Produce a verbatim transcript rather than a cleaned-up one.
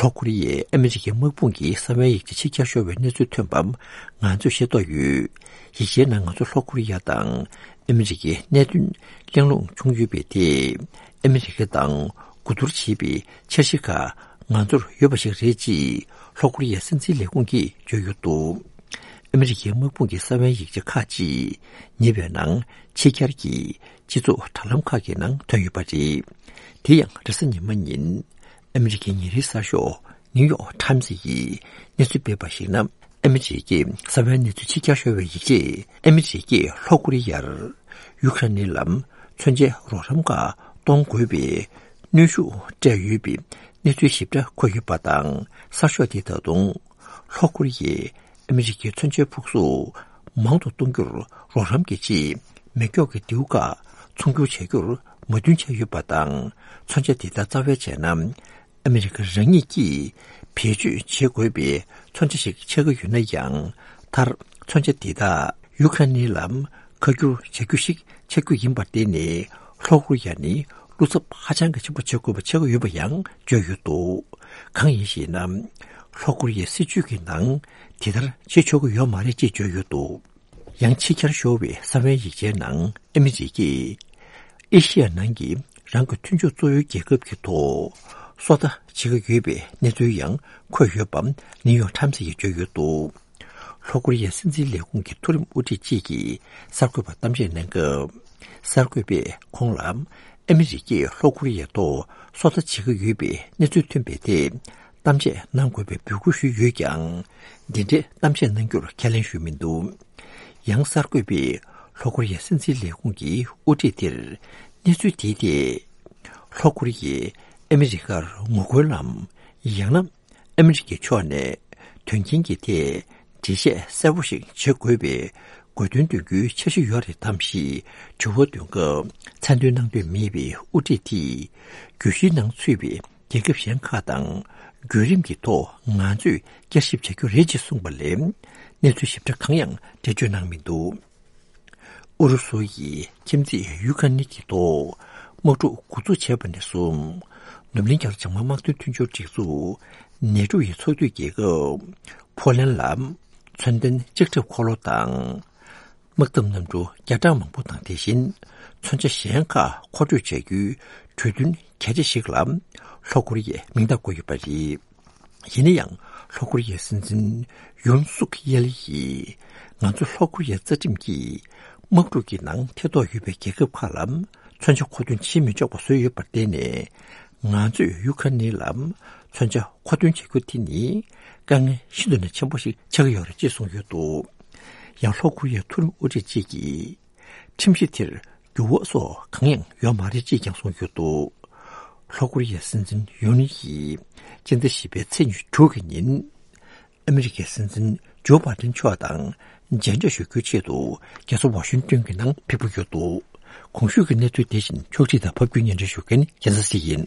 ལྷོ་ཀོ་རི་ཡས་ཨ་མི་རི་ཀའི་དམག་དཔུང་གི་གསང་བའི་ཡིག་ཆ་ཕྱི་གྱར་ཤོར་བའི་གནས་ཚུལ་ཐོན་པ་ང་ཚོས་ཤེས་རྟོགས་ཡོད། ཡིག་ཆའི་ནང་ང་ཚོ་ལྷོ་ཀོ་རི་ཡ་དང་ཨ་མི་རི་ཀའི་གནད་དོན་གླེང་སློང་བྱུང་ཡོད་པས། དེས་ཨ་མི་རི་ཀ་དང་གོ་བསྡུར་བྱེད་པའི་འཆར་གཞི་ཁག་ང་ཚོར་ཡོད་པ་ཞིག་རེད་ཅེས་ལྷོ་ཀོ་རི་ཡའི་སྲིད་འཛིན་ལས་ཁུངས་ཀྱིས་བརྗོད་ཡོད་འདུག་ཨ་མི་རི་ཀའི་དམག་དཔུང་གི་གསང་བའི་ཡིག་ཆ་ཁག་ཅིག་ཉེ་བའི་ནང་ཕྱི་གྱར་གྱིས་སྤྱི་ཚོགས་དྲ་ལམ་ཁག་གི་ནང་ཐོན་ཡོད་པ་རེད། དེ་ཡང་རེས་གཟའ་ཉི་མ་ཉིན་ཨ་མི་རི་ཀའི་ཉིན་རེའི་གསར་ཤོག་ནིའུ་ཡོག་ཊའིམ་སི་ཡིས་གནས་ཚུལ་སྤེལ་བར་གཞིགས་ན། ཨ་མི་རི་ཀའི་གསང་བའི་གནས་ཚུལ་ཕྱི་གྱར་ཤོར་བའི་ཡིག་ཆས་ཨ་མི་རི་ཀས་ལྷོ་ཀོ་རི་ཡར་ཡུ་ཀེ་རེན་ནི་ལམ་མཚོན་ཆའི་རོགས་རམ་ཁག་གཏོང་དགོས་པའི་གནོན་ཤུགས་སྤྲད་ཡོད་པའི་གནས་ཚུལ་ཞིབ་ཕྲ་འཁོད་ཡོད་པ་དང་། གསར་ཤོག་དེས་ད་དུང་ལྷོ་ཀོ་རི་ཡས་ཨ་མི་རི་ཀའི་མཚོན་ཆའི་ཕུག་གཟུགས་མང་དུ་གཏོང་རྒྱུར་རོགས་རམ་གྱི་ཆེད། མེ་སྒྱོགས་ཀྱི་མདེའུ་ཁག་ཚོང་སྒྱུར་བྱ་རྒྱུར་མོས་མཐུན་བྱས་ཡོད་པ་དང་། མཚོན་ཆ་དེ་དག་རྩ་བའི་བྱས་ན། ཨ་མི་རི་ཀ་རང་ཉིད་ཀྱིས་བེད་སྤྱོད་བྱེད་དགོས་པའི་མཚོན་ཆ་ཞིག་ཆགས་ཀྱི་ཡོད་ན་ཡང་། མཐར་མཚོན་ཆ་དེ་དག་ཡུ་ཀེ་རེན་ནི་ལམ་ཁ་བསྒྱུར་བྱ་རྒྱུ་ཞིག་ཆགས་རྒྱུ་ཡིན་པར་བརྟེན་ནས། ལྷོ་ཀོ་རི་ཡ་ནི་བློ་འཚབ་ཧ་ཅང་གི་ཆེན་པོ་བྱེད་དགོས་པ་ཆགས་ཀྱི་ཡོད་པ་ཡང་བརྗོད་ཡོད་འདུག་གང་ཡིན་ཞེ་ན། ལྷོ་ཀོ་རི་ཡའི་སྲིད་བྱུས་ཀྱི་ནང་དེ་ལྟར་བྱེད་ཆོག་གི་ཡོད་མ་རེད་ཅེས་བརྗོད་ཡོད་འདུག་ཡང་ཕྱི་གྱར་ཤོར་བའི་གསང་བའི་ཡིག་ཆའི་ནང་ཨ་མི་རི་ཀས་ཨེ་ཤི་ཡ་ནང་གི་རང་གི་མཐུན་ཕྱོགས་གཙོ་བོའི་རྒྱལ་ཁབ་ཀྱི་ཐོག་སོ་ལྟ་བྱེད་ཀྱི་ཡོད་པའི་གནས་ཚུལ་ཡང་འཁོད་ཡོད་པ་ནིའུ་ཡོག་ཊའིམ་སི་ཡིས་བརྗོད་ཡོད་འདུག་ལྷོ་ཀོ་རི་ཡའི་སྲིད་འཛིན་ལས་ཁུངས་ཀྱི་མཐོ་རིམ་དབུ་ཁྲིད་ཅིག་གིས་གསར་འགོད་པར་གཏམ་བཤད་གནང་སྐབས། གསར་འགོད་པས་ཁོང་ལ་ཨ་མི་རི་ཀས་ལྷོ་ཀོ་རི་ཡའི་ཐོག་སོ་ལྟ་བྱེད་ཀྱི་ཡོད་པའི་གནས་ཚུལ་ཐོན་པའི་ཐད་གཏམ་བཤད་གནང་དགོས་པའི་འབོད་སྐུལ་ཞུས་ཡོད་ཀྱང་། འདི་འདྲའི་གཏམ་བཤད་གནང་རྒྱུར་ཁས་ལེན་ཞུས་མི་འདུག་ཡང་གསར་འགོད་པས་ལྷོ་ཀོ་རི་ཡའི་སྲིད་འཛིན་ལས་ཁུངས་ཀྱི་དབུ་ཁྲིད་དེར་གནས་ཚུལ་དེའི་ཐད། ལྷོ་ཀོ་རི་ཡས་ཨ་མི་རི་ཀར་ངོ་རྒོལ་ལམ་ཡང་ན། ཨ་མི་རི་ཀའི་ཕྱོགས་ནས་དོན་རྐྱེན་གྱི་ཐད་འགྲེལ་བཤད་གསལ་པོ་ཞིག་བྱེད་དགོས་པའི་དགོས་འདུན་འདོན་རྒྱུའི་འཆར་གཞི་ཡོད་རེད་དམ་ཞེས་དྲི་བ་འདོན་སྐབས། མཚན་འདོན་གནང་འདོད་མེད་པའི་དབུ་ཁྲིད་དེས་གྱོད་གཞིའི་ནང་ཚུད་པའི་རྒྱལ་ཁབ་གཞན་ཁག་དང་བརྒྱུད་རིམ་གྱི་ཐོག་ང་ཚོས་བསྐྱར་ཞིབ་བྱ་རྒྱུ་རེད་ཅེས་གསུངས་པ་ལས། གནས་ཚུལ་ཞིབ་ཕྲ་གང་ཡང་འགྲེལ་བརྗོད་གནང་མི་འདུག་ཨུ་རུ་སུ་ཡིས་ཁྱིམ་མཚེས་ཡུ་ཀེ་རེན་གྱི་ཐོག་དམག་འཁྲུག་འགོ་འཛུགས་བྱས་པ་ནས་བཟུང་། ནུབ་གླིང་རྒྱ་མཚོ་འཇབ་དམག་དམག་དོན་མཐུན་ཕྱོགས་སྒྲིག་འཛུགས་ནེ་ཊོ་ཡི་ཚོགས་འཐུས་རྒྱལ་ཁབ་ཕོ་ལན་ལ་མཚོན་ལྡན་ལྕགས་ཁྲབ་འཁོར་ལོ་དང་། དམག་འཐབ་གནམ་གྲུ་བརྒྱ་ཕྲག་མང་པོ་དང་། དེ་བཞིན་མཚོན་ཆ་གཞན་ཁག་མཁོ་སྤྲོད་བྱ་རྒྱུའི་གྲོས་མཐུན་གལ་ཆེ་ཞིག་ལ་ལྷོ་ཀོ་རི་ཡས་མིང་རྟགས་བཀོད་ཡོད་པ་རེད། ཡིན་ན་ཡང་། ལྷོ་ཀོ་རི་ཡའི་སྲིད་འཛིན་ཡུན་སུག་ཡེལ་ཡིས། ང་ཚོ་ལྷོ་ཀོ་རི་ཡའི་རྩ་ཁྲིམས་ཀྱིས་དམག་འཁྲུག་གི་ནང་ཐེ་གཏོགས་ཡོད་པའི་རྒྱལ་ཁབ་ཁག་ལ་མཚོན་ཆ་མཁོ་འདོན་བྱེད་མི་ཆོག་པ་བཟོས་ཡོད་པར་བརྟེན་ནས། ང་ཚོས་ཡུ་ཁ་ནི་ལ་མཚོན་ཆ་མཁོ་འདོན་བྱ་རྒྱུ་དེ་ནི་དཀའ་ངལ་ཤིན་ཏུ་ནས་ཆེན་པོ་ཞིག་ཆགས་ཀྱི་ཡོད་རེད་ཅེས་གསུངས་ཡོད་འདུག་ཡང་ལྷོ་ཀོ་རི་ཡའི་མཐོ་རིམ་དབུ་ཁྲིད་ཅིག་གིས། ཁྲིམས་གཞི་དེར་འགྱུར་བ་སོགས་གང་ཡང་ཡོད་མ་རེད་ཅེས་ཀྱང་གསུངས་ཡོད་འདུག་ལྷོ་ཀོ་རི་ཡའི་སྲིད་འཛིན་ཡུན་ཡིས་སྤྱི་ཟླ་བཞི་པའི་ཚེས་ཉི་ཤུ་དྲུག་གི་ཉིན། ཨ་མི་རི་ཀའི་སྲིད་འཛིན་ཇོ་བྷའི་ཏིན་མཆོག་དང་མཇལ་འཕྲད་ཞུ་རྒྱུའི་ཆེད་དུ་རྒྱལ་ས་ཝ་ཤིང་ཏོན་གྱི་ནང་ཕེབས་ཀྱི་ཡོད་འདུག་གོང་ཞུས་ཀྱི་གནས་ཚུལ་དེ་བཞིན་ཕྱོགས་སྒྲིག་དང་ཕབ་སྒྱུར་སྙན་སྒྲོན་ཞུ་མཁན་རྒྱལ་མཚན་སྲིད་ཡིན།